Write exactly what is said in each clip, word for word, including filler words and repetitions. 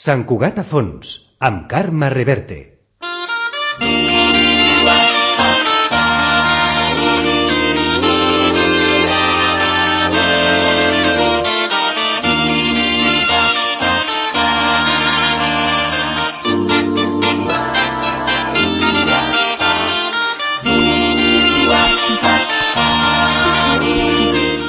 Sant Cugat a fons, amb Carme Reverte.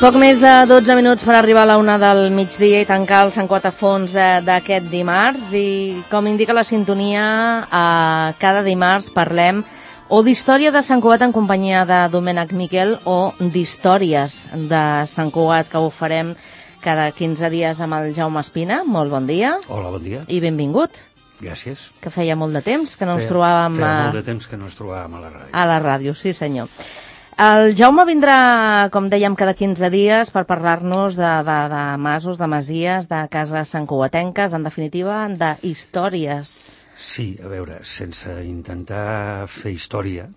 Poc més de dotze minuts per arribar a la una del migdia i tancar el Sant Cugat a fons d'aquest dimarts. I com indica la sintonia, eh, cada dimarts parlem o d'història de Sant Cugat en companyia de Domènec Miquel o d'històries de Sant Cugat, que ho farem cada quinze dies amb el Jaume Espina. Molt bon dia. Hola, bon dia. I benvingut. Gràcies. Que feia molt de temps que no ens feia, trobàvem... Feia a... molt de temps que no ens trobàvem a la ràdio. A la ràdio, sí senyor. El Jaume vindrà, com dèiem, cada quinze dies per parlar-nos de, de, de masos, de masies, de cases santcugatenques, en definitiva, de històries. Sí, a veure, sense intentar fer història,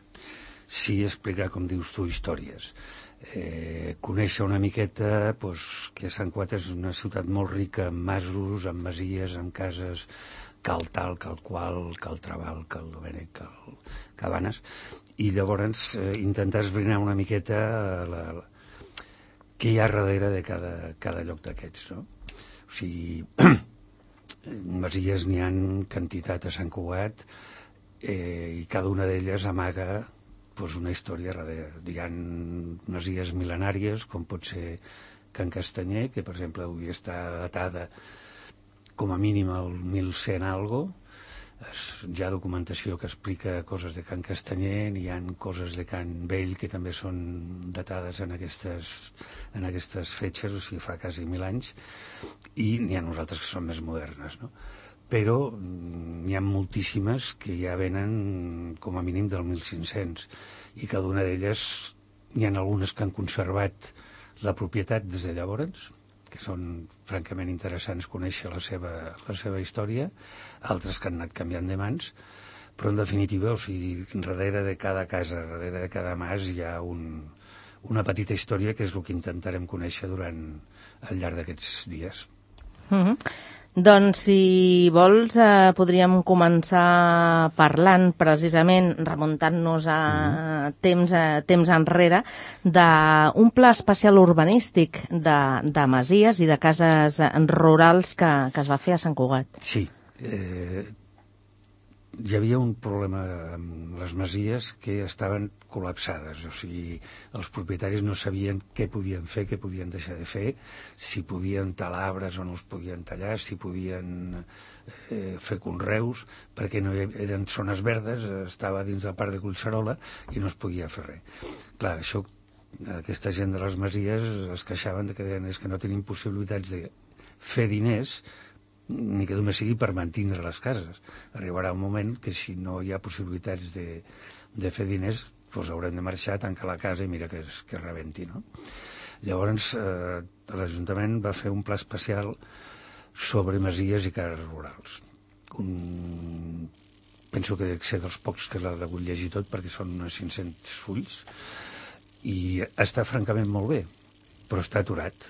sí explicar, com dius tu, històries. Eh, conèixer una miqueta doncs, que Sant Cugat és una ciutat molt rica en masos, en masies, en cases, cal tal, cal qual, cal Trabal, cal Domènec, cal Cabanes, i llavors eh, intentar esbrinar una miqueta eh, la, la, què hi ha darrere de cada, cada lloc d'aquests, no? O sigui, masies n'hi ha quantitat a Sant Cugat, eh, i cada una d'elles amaga pues, una història darrere. Hi ha masies mil·lenàries, com pot ser Can Castanyer, que per exemple avui està datada com a mínim al mil cent algo. Hi ha documentació que explica coses de Can Castanyer, hi ha coses de Can Vell que també són datades en aquestes, en aquestes fetges, o sigui, fa quasi mil anys, i n'hi ha nosaltres que són més modernes, no? Però n'hi ha moltíssimes que ja venen com a mínim del mil cinc-cents, i cada una d'elles n'hi ha algunes que han conservat la propietat des de llavors, que són francament interessants conèixer la seva, la seva història, altres que han anat canviant de mans, però en definitiva, o sigui, darrere de cada casa, darrere de cada mas hi ha un, una petita història que és el que intentarem conèixer durant al llarg d'aquests dies. Mm-hmm. Doncs, si vols, eh, podríem començar parlant, precisament, remuntant-nos a mm-hmm. temps, a temps enrere, d'un pla especial urbanístic de, de masies i de cases rurals que, que es va fer a Sant Cugat. Sí. Eh, hi havia un problema amb les masies que estaven col·lapsades, o sigui, els propietaris no sabien què podien fer, què podien deixar de fer, si podien talar arbres o no els podien tallar, si podien eh, fer conreus, perquè no eren zones verdes, estava dins del parc de Collserola i no es podia fer res. Clar, això, aquesta gent de les masies es queixaven de que deien és que no tenim possibilitats de fer diners, ni que només sigui per mantindre les cases. Arribarà un moment que si no hi ha possibilitats de, de fer diners, doncs haurem de marxar, tancar la casa i mira que es, que es rebenti, no? Llavors, eh, l'Ajuntament va fer un pla especial sobre masies i cases rurals. Un... Penso que dec ser dels pocs que l'ha degut llegir tot, perquè són uns cinc-cents fulls, i està francament molt bé, però està aturat.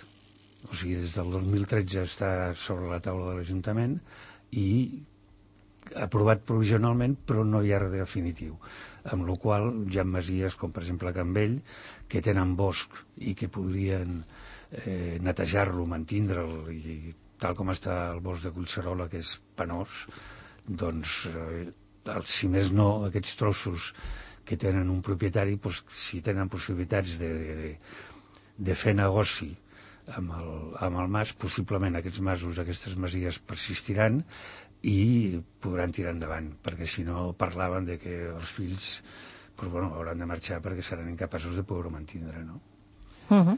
O sigui, des del dos mil tretze està sobre la taula de l'Ajuntament i aprovat provisionalment, però no hi ha res definitiu. Amb la qual hi ha masies, com per exemple Can Vell, que tenen bosc i que podrien eh, netejar-lo, mantindre'l, i tal com està el bosc de Collserola, que és penós, doncs, eh, si més no, aquests trossos que tenen un propietari, doncs, si tenen possibilitats de, de, de fer negoci amb el, amb el mas, possiblement aquests masos, aquestes masies persistiran i podran tirar endavant, perquè si no parlaven de que els fills doncs, bueno, hauran de marxar perquè seran incapaços de poder-ho mantindre, no? Uh-huh.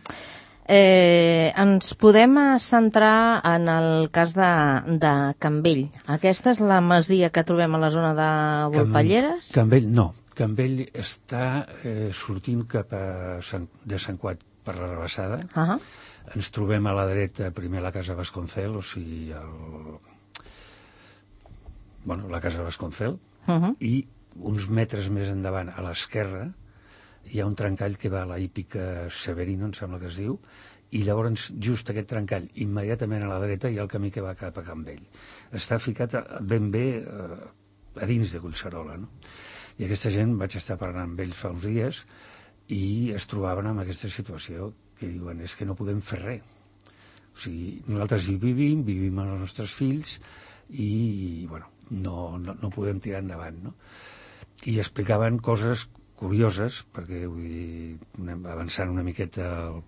Eh, ens podem centrar en el cas de, de Can Vell. Aquesta és la masia que trobem a la zona de Volpelleres? Can, Can Vell no. Can Vell està eh, sortint cap a Sant, de Sant Cugat per la Rabassada. Uh-huh. Ens trobem a la dreta primer la casa Vasconcel, o sigui, el... bueno, la casa Vasconcel, uh-huh. i uns metres més endavant, a l'esquerra, hi ha un trencall que va a la hípica Severino, em sembla que es diu, i llavors just aquest trencall immediatament a la dreta hi ha el camí que va cap a Can Vell. Està ficat ben bé eh, a dins de Collserola, no? I aquesta gent, vaig estar parlant amb ells fa uns dies i es trobaven amb aquesta situació que diuen, és que no podem fer res. O sigui, nosaltres hi vivim, vivim amb els nostres fills i, bueno, no, no, no podem tirar endavant, no? I explicaven coses curioses, perquè vull dir, anem avançant una miqueta el,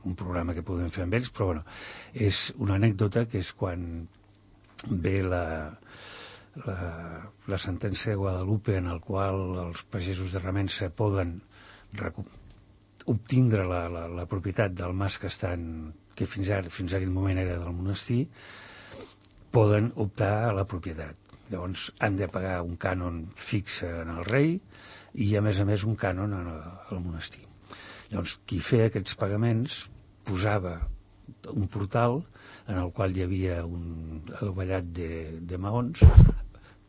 un programa que podem fer amb ells, però bueno, és una anècdota que és quan ve la, la, la sentència de Guadalupe en el qual els pagesos de Remença poden obtindre la, la, la propietat del mas que estan, que fins ara, fins a aquell moment era del monestir, poden optar a la propietat. Llavors han de pagar un cànon fixe en el rei i a més a més un cànon al monestir. Llavors qui feia aquests pagaments posava un portal en el qual hi havia un adovellat de, de maons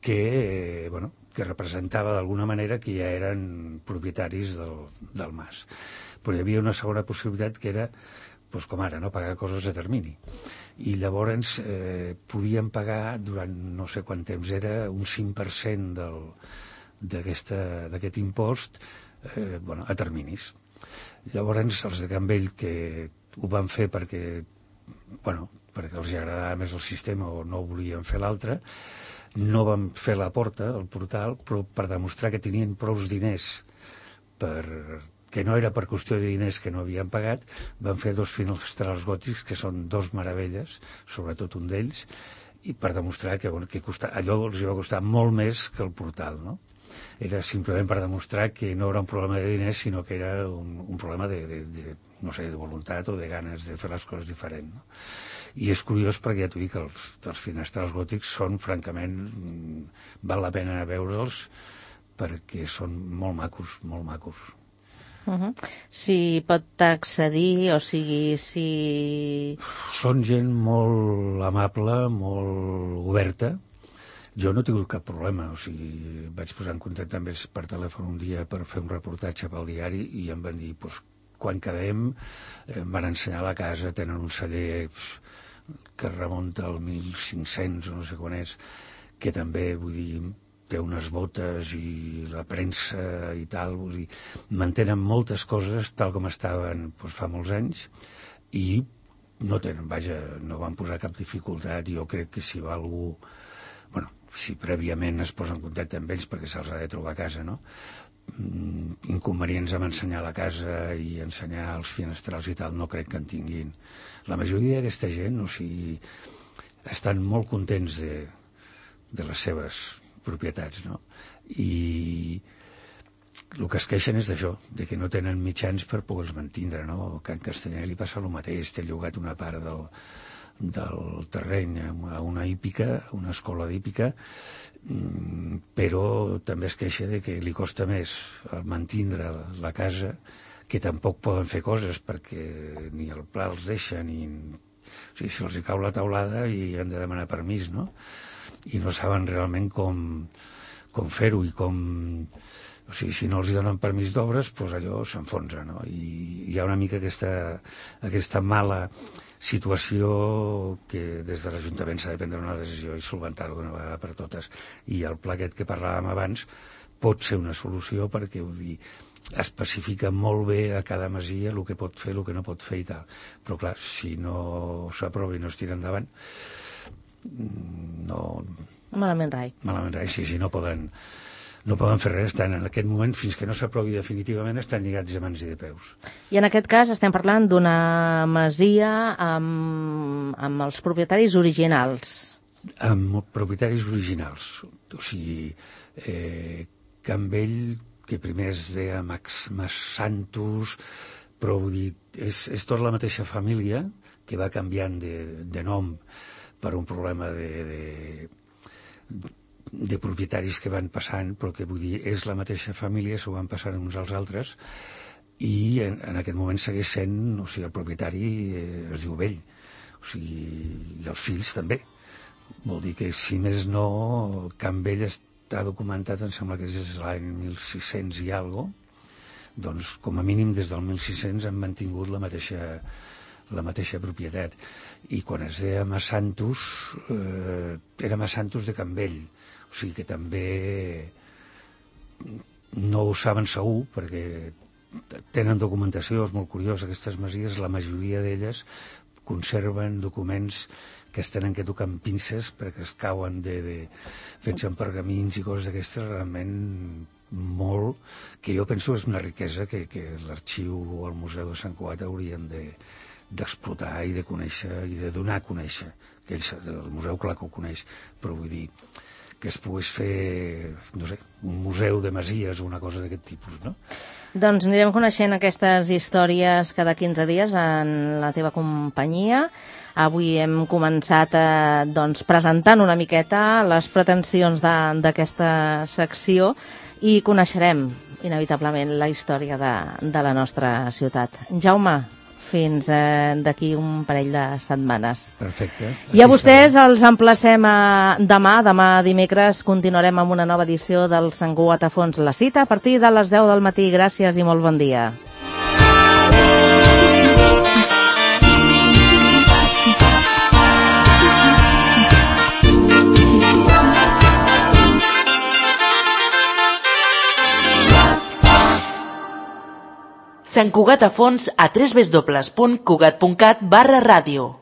que, eh, bueno, que representava d'alguna manera que ja eren propietaris del, del mas. Però hi havia una segona possibilitat que era, doncs com ara, no, pagar coses a termini. I llavors eh, podien pagar durant no sé quant temps era un cinc per cent d'aquest impost eh, bueno, a terminis. Llavors els de Can Vell, que ho van fer perquè, bueno, perquè els agradava més el sistema o no volien fer l'altre, no van fer la porta, el portal, però per demostrar que tenien prou diners per... que no era per qüestió de diners que no havien pagat, van fer dos finestrals gòtics que són dos meravelles, sobretot un d'ells, i per demostrar que, bueno, que costa, allò els va costar molt més que el portal, no? Era simplement per demostrar que no era un problema de diners, sinó que era un, un problema de, de, de, no sé, de voluntat o de ganes de fer les coses diferent, no? I és curiós perquè ja t'ho dic que els, els finestrals gòtics són, francament, val la pena veure'ls perquè són molt macos, molt macos. Uh -huh. Si pot accedir, o sigui, si... Són gent molt amable, molt oberta. Jo no he tingut cap problema, o sigui, vaig posar en contacte amb ells per telèfon un dia per fer un reportatge pel diari i em van dir, doncs, quan quedem, em van ensenyar la casa, tenen un celler que remunta al mil cinc-cents o no sé quan és, que també, vull dir, té unes botes i la premsa i tal, vull dir, mantenen moltes coses tal com estaven doncs, fa molts anys i no tenen, vaja, no van posar cap dificultat. Jo crec que si va algú, bueno, si prèviament es posa en contacte amb ells perquè se'ls ha de trobar a casa, no? Inconvenients amb ensenyar la casa i ensenyar els finestrals i tal, no crec que en tinguin. La majoria d'aquesta gent, o sigui, estan molt contents de, de les seves propietats, no? I el que es queixen és d'això, de que no tenen mitjans per poder-los mantindre, no? Que en Castanyer li passa el mateix, té llogat una part del, del terreny a una hípica, una escola d'hípica, però també es queixa de que li costa més mantindre la casa, que tampoc poden fer coses perquè ni el pla els deixa, ni... O sigui, si els hi cau la taulada i han de demanar permís, no? I no saben realment com, com fer-ho i com... O sigui, si no els donen permís d'obres, doncs allò s'enfonsa, no? I hi ha una mica aquesta, aquesta mala situació que des de l'Ajuntament s'ha de prendre una decisió i solventar-ho d'una vegada per totes. I el pla aquest que parlàvem abans pot ser una solució perquè, vull dir, especifica molt bé a cada masia el que pot fer, el que no pot fer i tal. Però clar, si no s'aprova i no es tira endavant, no... Malament rai. Malament rai, sí, sí, no poden... no poden fer res, estan en aquest moment, fins que no s'aprovi definitivament, estan lligats de mans i de peus. I en aquest cas estem parlant d'una masia amb, amb els propietaris originals. Amb propietaris originals. O sigui, eh, Can Vell, que primer es deia Max, Mas Santos, però vull dir, és, és tota la mateixa família que va canviant de, de nom per un problema de... de de propietaris que van passant, però que vull dir, és la mateixa família, s'ho van passant uns als altres, i en, en aquest moment segueix sent, o sigui, el propietari eh, es diu Vell, o sigui, i els fills també. Vol dir que, si més no, Can Vell està documentat, em sembla que és l'any mil sis-cents i algo, doncs, com a mínim, des del mil sis-cents han mantingut la mateixa, la mateixa propietat. I quan es deia Massantus, eh, era Massantus de Campbell, o sigui que també no ho saben segur, perquè tenen documentació, és molt curiós, aquestes masies, la majoria d'elles conserven documents que es tenen que tocar amb pinces perquè es cauen de, de fets en pergamins i coses d'aquestes, realment molt, que jo penso és una riquesa que, que l'arxiu o el Museu de Sant Cugat haurien de, d'explotar i de conèixer i de donar a conèixer, que ells, el museu clar que ho coneix, però vull dir que es pogués fer, no sé, un museu de masies o una cosa d'aquest tipus, no? Doncs anirem coneixent aquestes històries cada quinze dies en la teva companyia. Avui hem començat eh, doncs, presentant una miqueta les pretensions de- d'aquesta secció i coneixerem inevitablement la història de, de la nostra ciutat. Jaume, fins eh, d'aquí un parell de setmanes. Perfecte. I a vostès els emplacem a demà. Demà dimecres continuarem amb una nova edició del Sant Cugat a fons. La cita a partir de les deu del matí. Gràcies i molt bon dia. Sant Cugat a fons a w w w punt cugat punt cat barra ràdio.